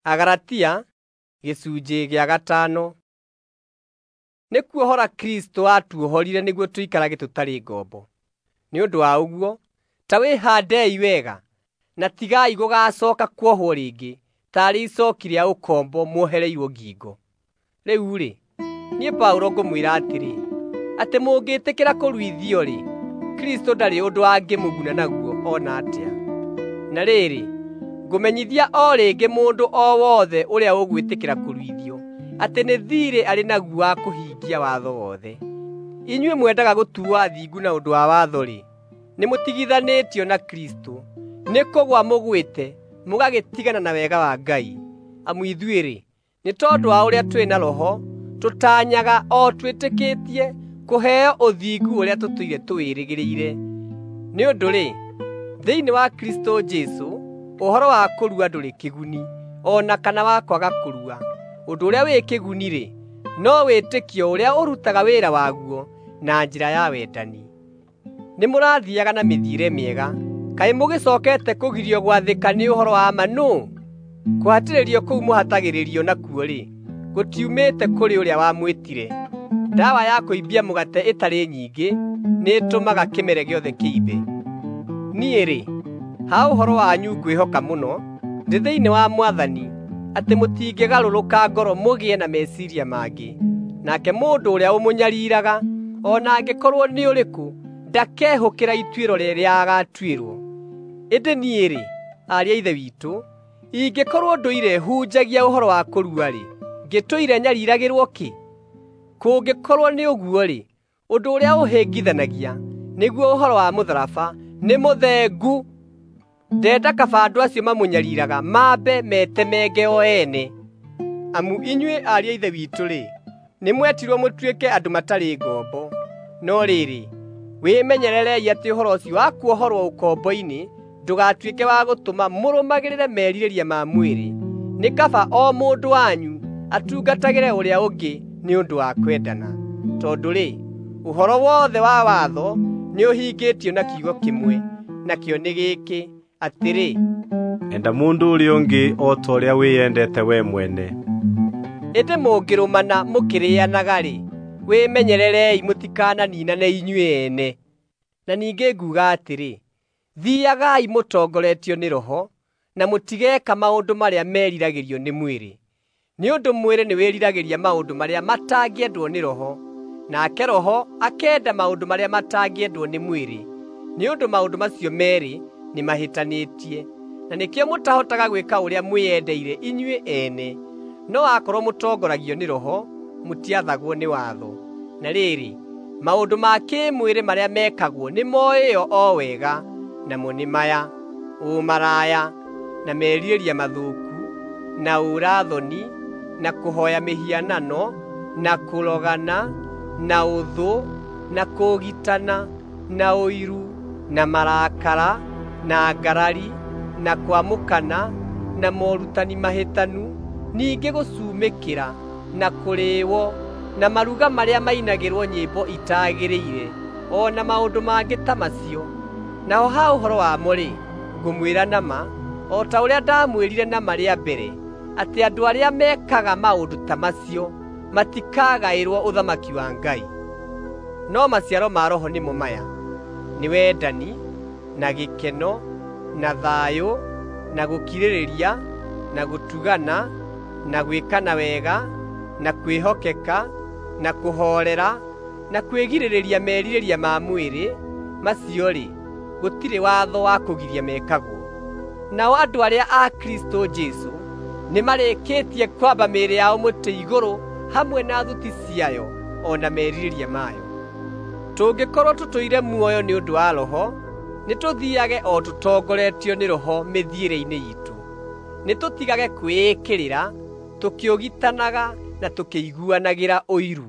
Agalatia gĩcunjĩ gĩa gatano. Nĩ kuohora Kristũ atuohorire nĩguo tũikarage tũtarĩ ngombo. Nĩ ũndũ wa ũguo, ta wĩhaandei wega, na tigai gũgacooka kuohwo rĩngĩ taarĩ icooki rĩa ũkombo muohereirwo ngingo. Rĩu-rĩ, niĩ Paũlũ ngũmwĩra atĩrĩ, atĩ mũngĩtĩkĩra kũruithio-rĩ, Kristũ ndarĩ ũndũ angĩmũguna naguo o na atĩa. Na rĩrĩ, ngũmenyithia o rĩngĩ mũndũ o wothe ũrĩa ũgwĩtĩkĩra kũruithio atĩ nĩ thiirĩ arĩ naguo wa kũhingia watho wothe. Inyuĩ mwendaga gũtuuo athingu na ũndũ wa watho-rĩ, nĩmũtigithanĩtio na Kristũ, nĩ kũgũa mũgwĩte mũgagĩtigana na wega wa Ngai. Amu ithuĩ-rĩ, nĩ tondũ wa ũrĩa twĩ na Roho, tũtaanyaga o twĩtĩkĩtie kũheo ũthingu ũrĩa tũtũire tũwĩrĩgĩrĩire. Nĩ ũndũ-rĩ, thĩinĩ wa Kristũ Jesũ ũhoro wa kũrua ndũrĩ kĩguni, o na kana wa kwaga kũrua. Ũndũ ũrĩa wĩ kĩguni-rĩ, no wĩtĩkio ũrĩa ũrutaga wĩra waguo na njĩra ya wendani. Nĩmũrathiiaga na mĩthiĩre mĩega. Kaĩ mũgĩcookete kũgirio gwathĩka nĩ ũhoro wa ma nũũ? Kũhatĩrĩrio kũu mũhatagĩrĩrio nakuo-rĩ, gũtiumĩte kũrĩ ũrĩa wamwĩtire. Ndawa ya kũimbia mũgate ĩtarĩ nyingĩ nĩĩtũmaga kĩmere gĩothe kĩimbe. Niĩ-rĩ, ha ũhoro wanyu ngwĩhoka mũno, ndĩ thĩinĩ wa Mwathani, atĩ mũtingĩgarũrũka ngoro mũgĩe na meciiria mangĩ. Nake mũndũ ũrĩa ũmũnyariiraga, o na angĩkorwo nĩ ũrĩkũ, ndakehũkĩra ituĩro rĩrĩa agaatuĩrwo. Ĩndĩ niĩ-rĩ, ariũ a Ithe witũ, ingĩkorwo ndũire hunjagia ũhoro wa kũrua-rĩ, ngĩtũire nyariiragĩrwo kĩ? Kũngĩkorwo nĩ ũguo-rĩ, ũndũ ũrĩa ũhĩngithanagia, nĩguo ũhoro wa mũtharaba, nĩ mũthengu. Ndenda kaba andũ acio mamũnyariiraga mambe metemenge o ene. Amu inyuĩ ariũ a Ithe witũ-rĩ, nĩmwetirwo mũtuĩke andũ matarĩ ngombo. No rĩrĩ, wĩmenyererei atĩ ũhoro ũcio wa kuohorwo ũkombo-inĩ ndũgatuĩke wa gũtũma mũrũmagĩrĩre merirĩria ma mwĩrĩ. Nĩ kaba o mũndũ wanyu atungatagĩre ũrĩa ũngĩ nĩ ũndũ wa kwendana. Tondũ-rĩ, ũhoro wothe wa watho nĩũhingĩtio na kiugo kĩmwe, nakĩo nĩ gĩkĩ, atĩrĩ, enda mũndũ ũrĩa ũngĩ o ta ũrĩa wĩyendete we mwene. Ĩndĩ mũngĩrũmana mũkĩrĩĩanaga-rĩ, wĩmenyererei mũtikananiinane inyuĩ ene. Na ningĩ nguuga atĩrĩ, thiiagai mũtongoretio nĩ Roho, na mũtigeeka maũndũ marĩa meriragĩrio nĩ mwĩrĩ. Nĩ ũndũ mwĩrĩ nĩwĩriragĩria maũndũ marĩa matangĩendwo nĩ Roho, nake Roho akenda maũndũ marĩa matangĩendwo nĩ mwĩrĩ. Nĩ ũndũ maũndũ macio meerĩ nĩmahĩtanĩtie, na nĩkĩo mũtahotaga gwĩka ũrĩa mwĩyendeire inyuĩ ene. No akorwo mũtongoragio nĩ Roho, mũtiathagwo nĩ watho. Na rĩrĩ, maũndũ ma kĩĩmwĩrĩ marĩa mekagwo nĩmoĩo o wega, namo nĩ maya: ũmaraya, na merirĩria mathũku, na ũũra-thoni, na kũhooya mĩhianano, na kũrogana, na ũthũ, na kũũgitana, na ũiru, na marakara, na ngarari, na kwamũkana, na morutani mahĩtanu, ningĩ gũcumĩkĩra, na kũrĩĩo, na maruga marĩa mainagĩrwo nyĩmbo itaagĩrĩire, o na maũndũ mangĩ ta macio. Naho ha ũhoro wamo-rĩ, ngũmwĩra na ma, o ta ũrĩa ndamwĩrire na ma rĩa mbere, atĩ andũ arĩa mekaga maũndũ ta macio matikagaĩrwo ũthamaki wa Ngai. No maciaro ma Roho nĩmo maya: nĩ wendani, na gĩkeno, na thayũ, na gũkirĩrĩria, na gũtugana, na gwĩkana wega, na kwĩhokeka, na kũhoorera, na kwĩgirĩrĩria merirĩria ma mwĩrĩ. Macio-rĩ, gũtirĩ watho wa kũgiria mekagwo. Nao andũ arĩa a Kristũ Jesũ nĩmarĩkĩtie kwamba mĩĩrĩ yao mũtĩ igũrũ hamwe na thuti ciayo o na merirĩria mayo. Tũngĩkorwo tũtũire muoyo nĩ ũndũ wa Roho, nĩtũthiiage o tũtongoretio nĩ Roho mĩthiĩre-inĩ iitũ. Nĩtũtigage kwĩĩkĩrĩra, tũkĩũgitanaga na tũkĩiguanagĩra ũiru.